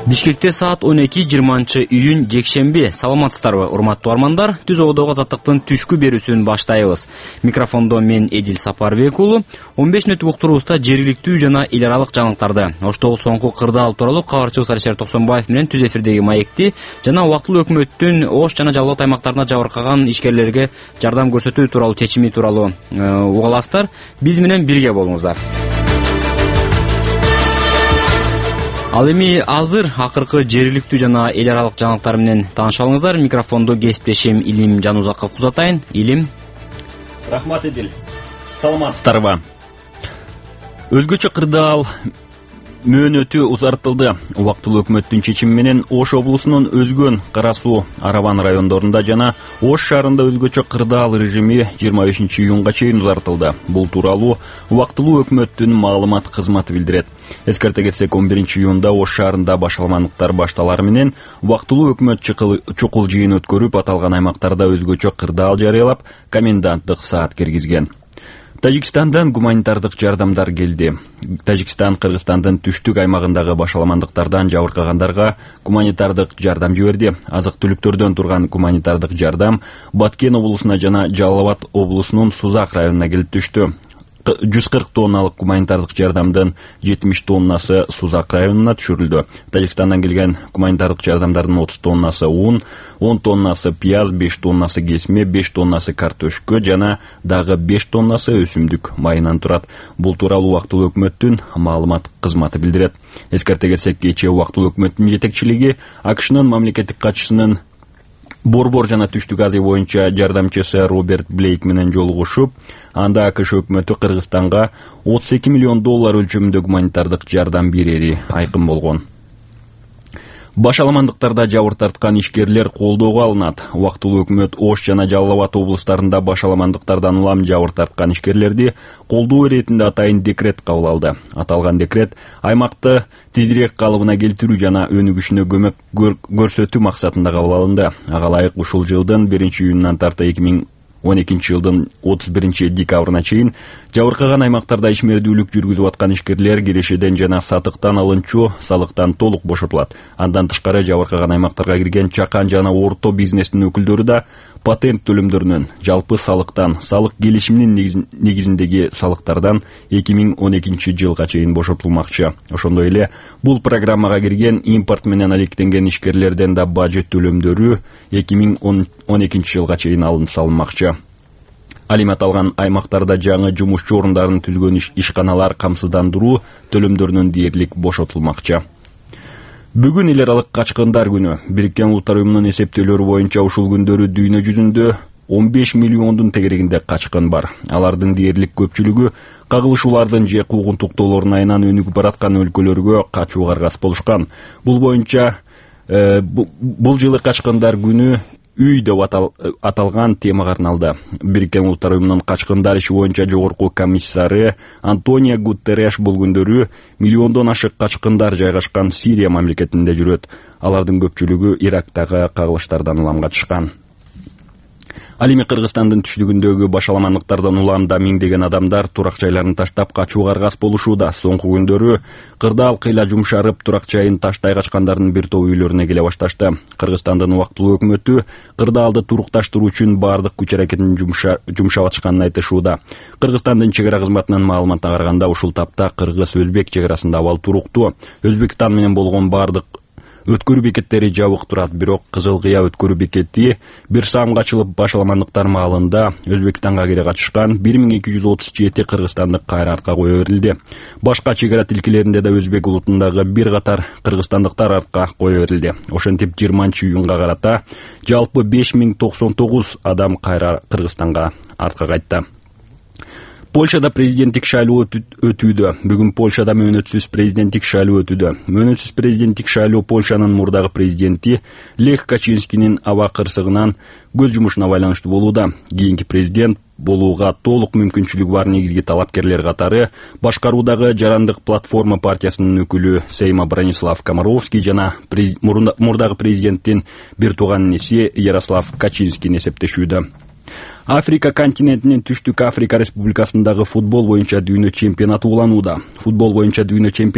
Бишкекте саат 12:20 жекшемби. Саламатсыздарбы, урматтуу армандар? Түз ободогу азаттыктын түшкү берүүсүн баштайбыз. Микрофондо мен Эдил Сапарбек уулу. 15 мүнөттүк уктуруубузда жергиликтүү жана эл аралык жаңылыктарды, оштогу соңку кырдаал тууралуу кабарчыбыз Алишер Токсонбаев менен түз эфирдеги маекти жана убактылуу өкмөттүн Ош жана Жалал Абад аймактарына жабыркаган ишкерлерге жардам көрсөтүү тууралуу чечими тууралуу уга аласыздар. Биз менен бирге болуңуздар. Ал эми азыр акыркы жергиликтүү жана эл аралык жаңылыктар менен тааныша алыңыздар. Микрофондо кесиптешим Илим Жанузаков узатайын. Илим. Рахмат, Эдил. Саламатсыздарбы? Өзгөчө кырдаал мөөнөтү узартылды. Убактылуу өкмөттүн чечими менен Ош облусунун Өзгөн, Кара Суу, Араван райондорунда жана Ош шаарында өзгөчө кырдаал режими 25-июнга чейин узартылды. Бул тууралуу убактылуу өкмөттүн маалымат кызматы билдирет. Эскерте кетсек, 11-июнда Ош шаарында башаламандыктар башталары менен убактылуу өкмөт чукул жыйын өткөрүп, аталган аймактарда өзгөчө кырдаал жарыялап, коменданттык саат киргизген. Тажикстандан гуманитардык жардамдар келди. Тажикстан Кыргызстандын түштүк аймагындагы башаламандыктардан жабыркагандарга гуманитардык жардам жиберди. Азык-түлүктөрдөн турган гуманитардык жардам Баткен облусуна жана Жалал Абад облусунун Сузак районуна келип түштү. 140 тонналык гуманитардык жардамдын 70 тоннасы Сузак районуна түшүрүлдү. Тажикстандан келген гуманитардык жардамдардын 30 тоннасы ун, 10 тоннасы пияз, 5 тоннасы кесме, 5 тоннасы картошка жана дагы 5 тоннасы өсүмдүк майынан турат. Бул тууралуу убактылуу өкмөттүн маалымат кызматы билдирет. Эскерте кетсек, кечээ убактылуу өкмөттүн жетекчилиги АКШнын мамлекеттик катчысынын Борбор жана Түштүк Азия боюнча жардамчысы Роберт Блейк менен жолугушуп, анда АКШ өкмөтү Кыргызстанга $32 миллион өлчөмүндө гуманитардык жардам берери айкын болгон. Башаламандыктарда жабыр тарткан ишкерлер колдоого алынат. Убактылуу өкмөт Ош жана Жалал Абад облустарында башаламандыктардан улам жабыр тарткан ишкерлерди колдоо иретинде атайын декрет кабыл алды. Аталган декрет аймакты тезирээк калыбына келтирүү жана өнүгүшүнө көмөк көрсөтүү максатында кабыл алынды. Ага ылайык ушул жылдын 1-июнунан тарта 2012 жылдын 31 декабрына чейин жабыркаган аймактарда ишмердүүлүк жүргүзүп аткан ишкерлер кирешеден жана сатыктан алынчу салыктан толук бошотулат. Андан тышкары жабыркаган аймактарга кирген чакан жана орто бизнестин өкүлдөрү да патент төлөмдөрүнөн, жалпы салыктан, салык келишиминин негизиндеги салыктардан 2012 жылга чейин бошотулмакчы. Ошондой эле бул программага кирген импорт менен алектенген ишкерлерден да бажы төлөмдөрү 2012 жылга чейин алынып салынмакчы. Ал эми аталган аймактарда жаңы жумушчу орундарын түзгөн ишканалар камсыздандыруу төлөмдөрүнөн дээрлик бошотулмакчы. Бүгүн эл аралык качкындар күнү. Бириккен Улуттар уюмунун эсептөөлөрү боюнча ушул күндөрү дүйнө жүзүндө 15 миллиондун тегерегинде качкын бар. Алардын дээрлик көпчүлүгү кагылышуулардын же куугунтуктоолордун айынан өнүгүп бараткан өлкөлөргө качууга аргасыз болушкан. Бул боюнча бул жылы качкындар күнү үй деп аталган темага арналды. Бириккен Улуттар уюмунун качкындар иши боюнча жогорку комиссары Антонио Гутерреш бул күндөрү миллиондон ашык качкындар жайгашкан Сирия мамлекетинде жүрөт. Алардын көпчүлүгү Ирактагы кагылыштардан улам качышкан. Ал эми Кыргызстандын түштүгүндөгү башаламандыктардан улам миңдеген адамдар турак жайларын таштап качууга аргасыз болушууда. Соңку күндөрү кырдаал кыйла жумшарып, турак жайын таштай качкандардын бир тобу үйлөрүнө келе башташты. Кыргызстандын убактылуу өкмөтү кырдаалды турукташтыруу үчүн бардык күч аракетин жумшап атышканын айтышууда. Кыргызстандын чек ара кызматынын маалыматына караганда, ушул тапта кыргыз-өзбек чек арасында абал туруктуу. Өзбекстан менен болгон бардык өткөрүү бекеттери жабык турат, бирок Кызыл Кыя өткөрүү бекети бир саамга ачылып, башаламандыктар маалында Өзбекстанга кире качышкан 1237 кыргызстандык кайра артка кое берилди. Башка чек ара тилкелеринде да өзбек улутундагы бир катар кыргызстандыктар артка кое берилди. Ошентип 20-июнга карата жалпы 5099 адам кайра Кыргызстанга артка кайтты. Польшада президенттик шайлоо өтүүдө. Бүгүн Польшада мөөнөтсүз президенттик шайлоо өтүүдө. Мөөнөтсүз президенттик шайлоо Польшанын мурдагы президенти Лех Качинскинин аба кырсыгынан көз жумушуна байланыштуу болууда. Кийинки президент болууга толук мүмкүнчүлүгү бар негизги талапкерлер катары башкаруудагы Жарандык платформа партиясынын өкүлү Сейма Бронислав Комаровский жана мурдагы президенттин бир тууган иниси Ярослав Качинскин эсептешүүдө. Африка континентинин Түштүк Африка Республикасындагы футбол боюнча дүйнө чемпионаты уланууда. Футбол боюнча дүйнө чемпионаты